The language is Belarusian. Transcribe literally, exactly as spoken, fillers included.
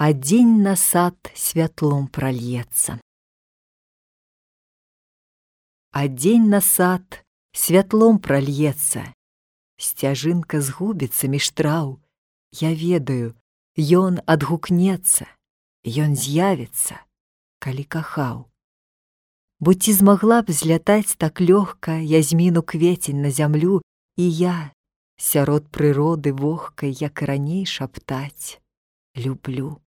а дзень на сад святлом прольецца. А дзень на сад святлом прольецца, сцяжынка згубіцца між траў. Я ведаю, ён адгукнецца, ён з'явіцца, калі кахаў. Бо ці змагла б злятаць так лёгка язьміну кветень на зямлю, і я сярод прыроды вогкай, як і раней, шаптаць люблю.